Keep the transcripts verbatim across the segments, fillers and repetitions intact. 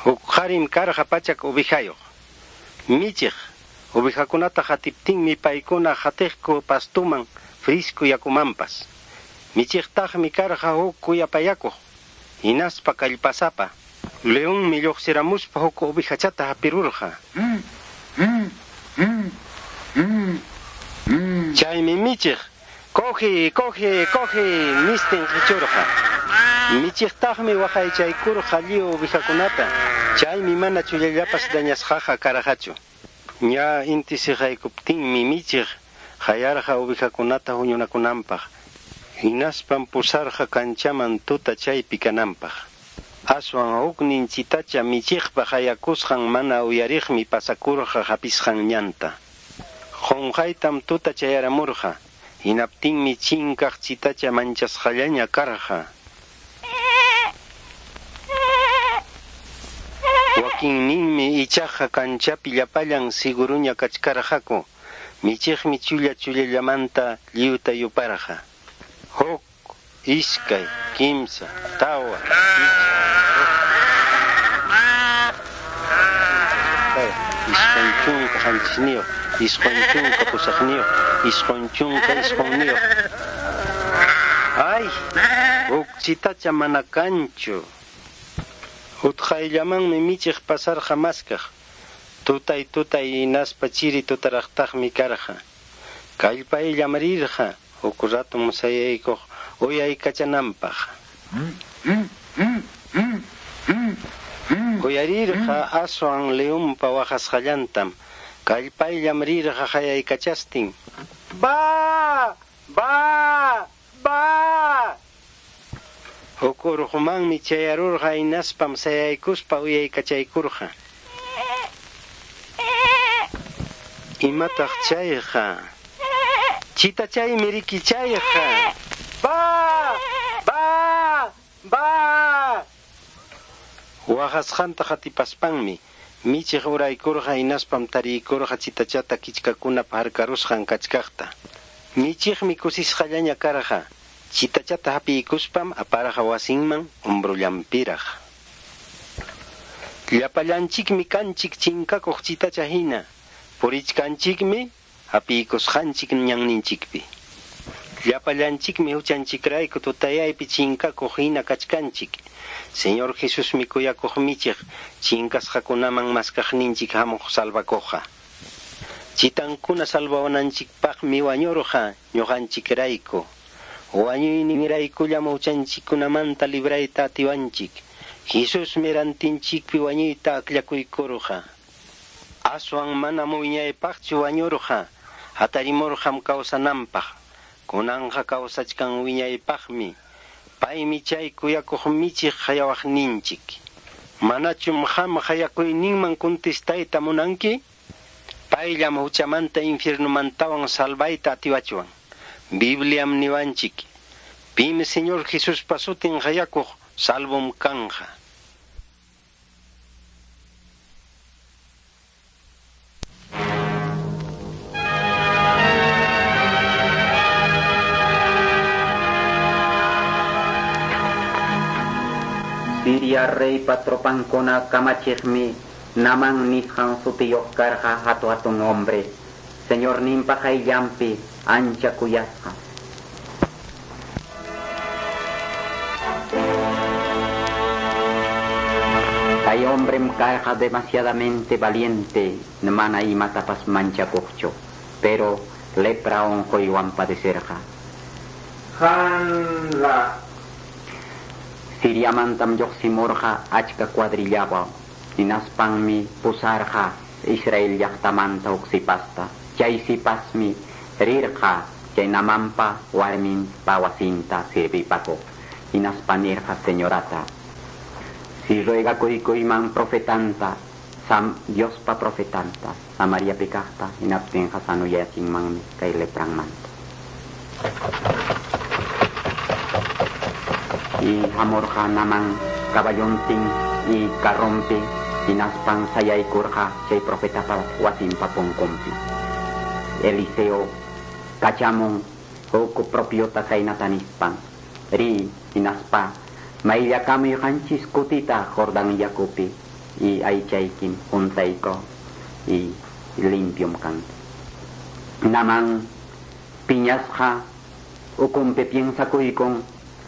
Huk qarim karqa pachak ovejayuq. Michiq ovejakunata qatiptinmi paykuna qatiqku pastuman, frisku yakumanpas. Michiqtaqmi karqa huk kuyapayakuq hinaspa kallpasapa. Leonmi lluqsiramuspa huk ovejachata hapirurqa. Chaymi michiq, "Coge, coge, coge", nistin qichurqa. Michiqtaqmi waqaychaykurqa lliw ovejakunata, chaymi mana chullallapas dañasqaqa karqachu. Ña inti siqaykuptinmi michiq qayarqa ovejakunata huñunakunanpaq, hinaspam pusarqa kanchaman tuta chaypi kananpaq. Aswan huknin chitacha michiqpa qayakusqan mana uyariqmi pasakurqa hapisqan ñanta. Qunqaytam tuta chayaramurqa, hinaptinmi chinkaq chitacha manchasqallaña karqa. Wakinninmi ichaqa kanchapi llapallan siguruña kachkarqaku. Michiqmi chulla chullallamanta lliwta yuparqa. Huk, iskay, kimsa, tawa, pichqa, isqun chunka qanchisniyuq, isqun chunka pusaqniyuq, isqun chunka isqunniyuq. Ay, huk chitacha mana kanchu. Utqayllamanmi michiq pasarqa maskaq. Tutay tutay hinaspa chiri tutaraqtaqmi karqa. Kallpayllam rirqa huk ratum sayaykuq uyaykachananpaq. Uyarirqa aswan leonpa waqasqallantam. Kallpayllam rirqa qayaykachastin. Ba! Ba! Ba! Huk urqumanmi chayarurqa hinaspam sayaykuspa uyaykachaykurqa. Imataq chayqa? Chitachaymi riki chayqa. Ba! Ba! Ba! Waqasqanta qatipaspanmi michiq uraykurqa hinaspam tariykurqa chitachata kichkakunap harkarusqan kachkaqta. Michiqmi kusisqallaña karqa. Chitachata hapiykuspam aparqa wasinman hombrollanpiraq. Llapallanchikmi kanchik chinkakuq chitacha hina, purichkanchikmi hapiykusqanchik ñanninchikpi. Llapallanchikmi huchanchikrayku tutayaypi chinkakuq hina kachkanchik. Señor Jesusmi kuyakuq michiq chinkasqakunaman maskaqninchik hamuq salvakuqqa. Chitankuna salvawananchikpaqmi wañurqa ñuqanchikrayku. Wañuyninraykullam huchanchikkunamanta librayta atiwanchik. Jesusmi rantinchikpi wañuyta akllakuykurqa. Aswan manam wiñaypaqchu wañurqa, hatarimurqam kawsananpaq. Kunanqa kawsachkan wiñaypaqmi. Paymi chay kuyakuq michiq qayawaqninchik. Manachum qam qayakuyninman kuntistayta munanki? Payllam huchamanta infiernumantawan salvayta atiwachwan. Bibliam niwanchik. Pim Señor Jesuspa sutin qayakuq salvom kanja. Siria reypa tropankuna kamachiqmi Naman nisqan sutiyuq karqa hatu hatun hombre. Señorninpa qayllanpi ancha kuyasqa. Kay hombrem karqa demasiadamente valiente, mana imatapas manchakuqchu, pero lepra unquywan padecerqa. Hanla. Siriamantam lluqsimurqa achka cuadrillawan, hinaspanmi pusarqa Israel llaqtamanta huk sipasta. Chay sipasmi rirqa chay Namanpa warminpa wasinta sirvipakuq. Hinaspa nirqa señorata: si ruegakuykuyman profetanta, Sam, Diospa profetanta, Samariapi kaqta, hinaptinqa sanuyachinmanmi kay lepranmanta. Y hamurqa Naman caballontin y carrompi, hinaspan sayaykurqa chay profetapa wasinpa punkunpi. Eliseo kachamun huk propiota khaynata nispan: ri hinaspa mayllakamuy qanchis kutita Jordán yakupi, Y aychaykim juntayko y limpium kanki. Naman piñasqa ukumpi piensakuykun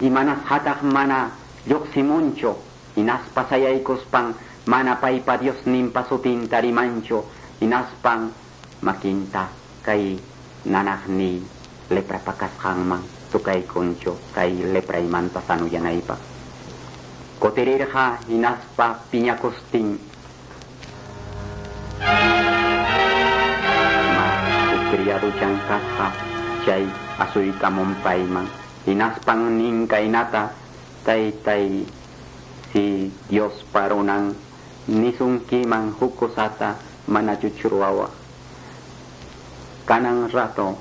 imanasqataq mana lluqsimunchu hinaspa sayaykuspan mana paypa Diosninpa sutinta rimanchu hinaspan makinta kay nanaqniy leprapa kasqanman tukaykunchu kay lepraymanta sanuyanaypaq. Kutirirqa hinaspa piñakustin ma criaduchan kasqa chay asuykamun payman hinaspan nin kaynata taytay si Dios parunan nisunkiman huk kusata mana chuchruwawaq kanan rato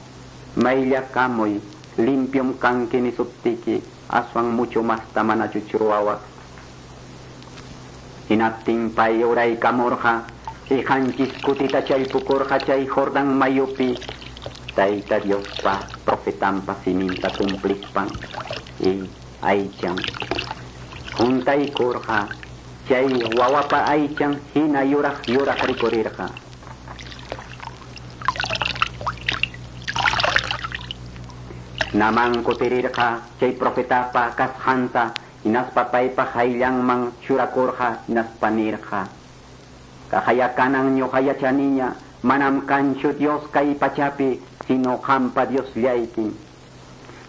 mayllakamuy limpium kanki nisuptiki aswan mucho masta mana chuchruwawaq hinaptin pay uraykamurqa qanchis kutita challpukurqa chay Jordán mayupi Tayta Diospa profetanpa siminta cumplispan y aychan juntaykurqa chay wawapa aychan hina yuraq yuraq rikurirqa. Naman kutirirqa chay profetapa kasqanta hinaspa paypa hayllanman churakurqa hinaspa nirqa kahayakanan ñuqa yachaniña manam kanchu Dios kay pachapi sino qampa Diosllaykin.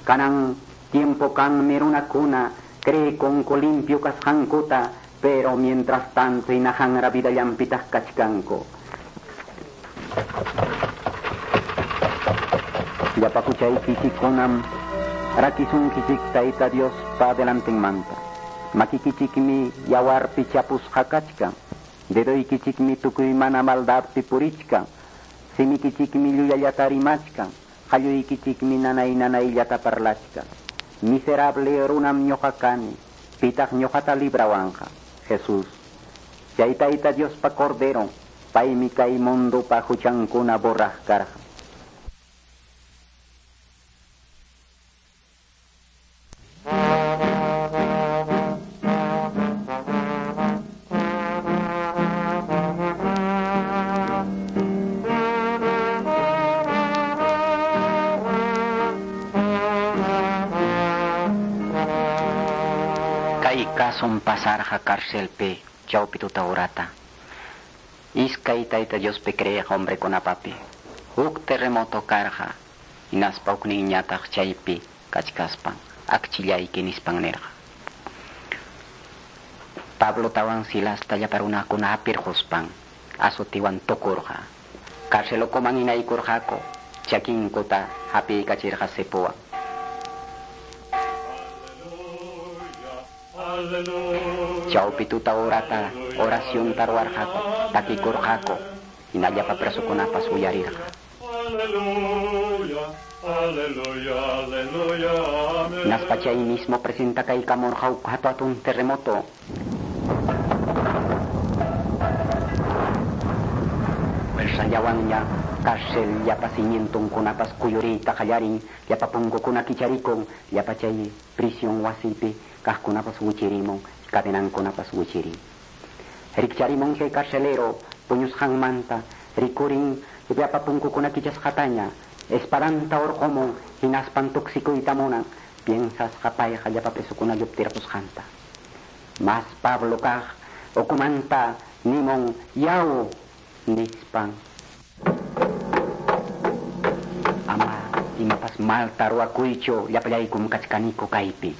Kanan tiempo kanmi runakuna creekunku limpio kasqankuta pero mientras tanto hinahanra vidallanpitaq kachkanku. Llapa huchaykichikkunam rakisunkichik Tayta Diospa delantenmanta. Makikichikmi yawarpi chapusqa kachkan. Dedoykichikmi tukuy mana maldadpi purichkan. Simikichikmi llullallata rimachkan. Qalluykichikmi nanay nanayllata parlachkan. Miserable runam ñuqa kani. Pitaq ñuqata librawanqa. Jesús. Chay Tayta Diospa Cordero, paymi kay mundupa huchankuna borraq karqa. Kasun pasarqa cárcelpi chawpi tuta urata. Iskay Tayta Diospi creeq hombrekunapapi huk terremoto karqa hinaspa hukninñataq chaypi kachkaspan akchillayki nispan nirqa. Pablotawan Silasta llapa runakuna hapirquspan azutiwan tukurqa. Cárcel ukuman hinaykurqaku chakinkuta hapiykachirqa sipuwan. Chawpi tuta urata oración ruwarqaku takikurqaku hinallapa presokunapas uyarirqa. Hinaspa chay mismo presentakaykamurqa huk hatun terremoto. Fuerzallawanña cárcel llapa cimientonkunapas kuyuriyta qallarin llapa punkukuna kicharikun llapa chay prisión wasipi kaqkunapas wichirimun cadenankunapas wichirin. Rikcharimun chay carcelero puñusqanmanta rikurin llapa punkukuna kichasqataña espadanta urqumun hinaspan tuksikuyta munan piensasqa payqa llapa presukuna lluptirqusqanta. Mas Pablo kaq ukumanta nimun yaw nispan ama imapas malta ruwakuychu llapallaykum kachkaniku kaypi.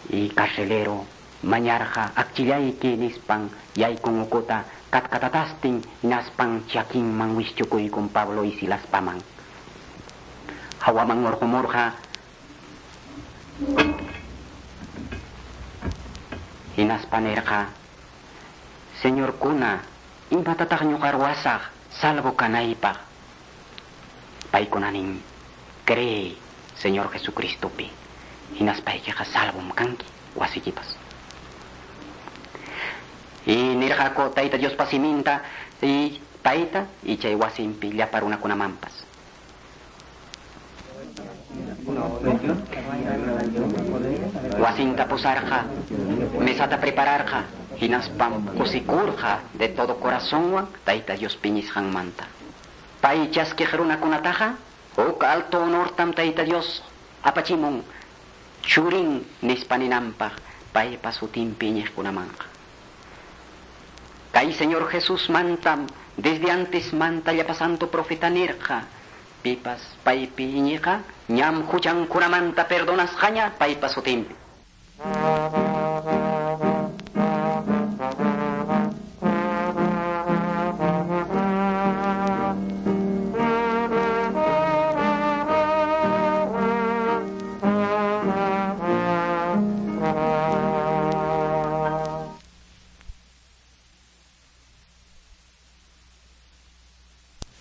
Y carcelero mañarqa akchillayki nispan yaykun ukuta katkatatastin hinaspan chakinman wischukuykun Pablo y Silaspaman. Hawaman urqumurqa hinaspa nirqa Señorkuna imatataq ñuqa ruwasaq salvo kanaypaq. Paykuna nin cree Señor Jesucristopi hinaspaykiqa salvom kanki wasikipas. Y nirqaku Tayta Diospa siminta y payta y chay wasinpi llapa runakunamanpas. Wasinta pusarqa, mesata prepararqa, Hinaspam kusikurqa de todo corazonwan Tayta Dios piñisqanmanta. Pay chaskiq runakunataqa huk alto honortam Tayta Dios apachimun churin nispa ninanpaq paypa sutinpi iñiqkunamanqa. Kay Señor Jesús mantam desde antes manta llapa santo profeta nirqa pipas paypi iñiqa ñam huchankunamanta perdonasqaña paypa sutinpi.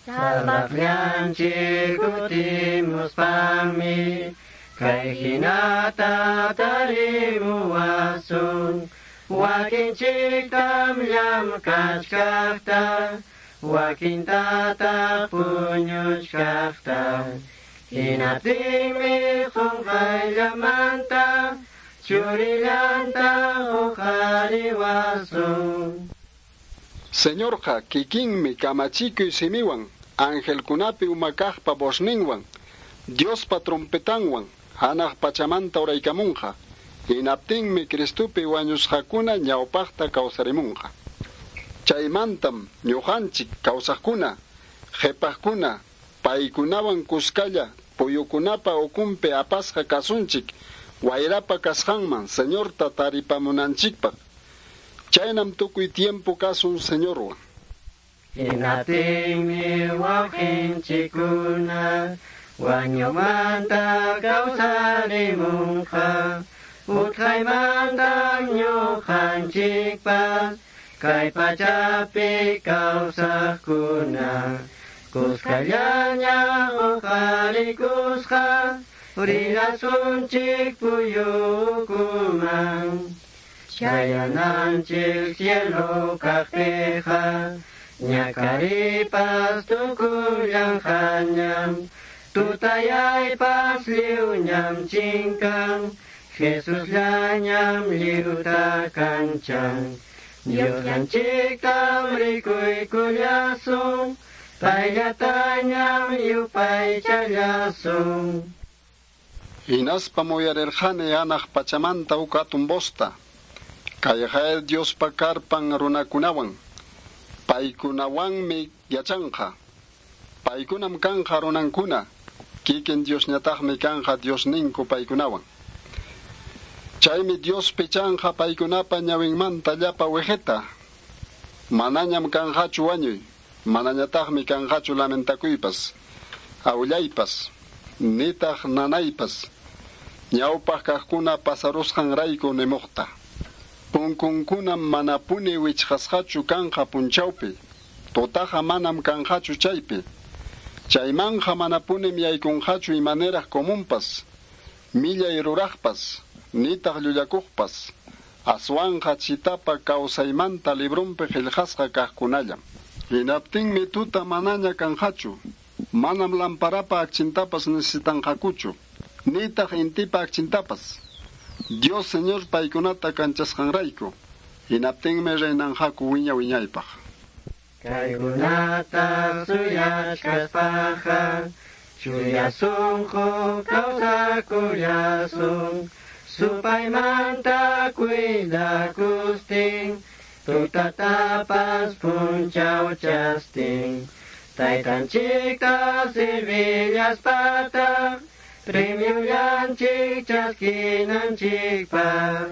Salvaqllanchik kutimuspanmi kay hinata tarimuwasun wakinchiktam llamkachkaqta wakintataq puñuchkaqta hinaptinmi qunqayllamanta churillanta huqariwasun. Señorqa kikinmi kamachikuy simiwan angelkunapi umakaqpa vozninwan Diospa trompetanwan hanaq pachamanta uraykamunqa hinaptinmi Cristupi wañusqakuna ñawpaqta kawsarimunqa. Chaymantam ñuqanchik kawsaqkuna qhipaqkuna paykunawan kuskalla puyukunapa ukunpi apasqa kasunchik wayrapa kasqanman Señorta taripamunanchikpaq. Chaynam tukuy tiempo kasun Señorwan. Hinaptinmi wawqinchikkuna wañuymanta kawsarimunqa utqaymanta ñuqanchikpas kay pachapi kawsaqkuna kuskallaña huqarikusqa rillasunchik puyukuman chayananchik cielo kaqpiqa ñakaripas tukullanqañam tutayaypas lliwñam chinkan Jesusllañam lliwta kanchan Diosllanchiktam rikuykullasun payllatañam yupaychallasun. Hinaspa uyarirqani hanaq pachamanta huk hatun vosta kayqa Diospa karpan runakunawan paykunawanmi yachanqa paykunam kanqa runankuna kikin Diosñataqmi kanqa Diosninku paykunawan. Chaymi Dios pichanqa paykunapa ñawinmanta llapa wiqita manañam kanqachu wañuy manañataqmi kanqachu lamentakuypas awllaypas nitaq nanaypas ñawpaq kaqkuna pasarusqanrayku nimuqta. Punkunkunam manapuni wichqasqachu kanqa punchawpi tutaqa manam kanqachu chaypi chaymanqa manapunim yaykunqachu imaniraq comunpas millay ruraqpas nitaq llullakuqpas aswanqa chitapa kawsaymanta librunpi qillqasqa kaqkunallam. Hinaptinmi tuta manaña kanqachu manam lamparapa akchintapas necesitanqakuchu nitaq intipa akchintapas Dios Señor paykunata kanchasqanrayku hinaptinmi reynanqaku wiña wiñaypaq. Kaykunata suyachkaspaqa chuya sunqu kawsakullasun supaymanta cuidakustin tutatapas punchawchastin taytanchikta sirvillaspataq premiullanchik chaskinanchikpaq.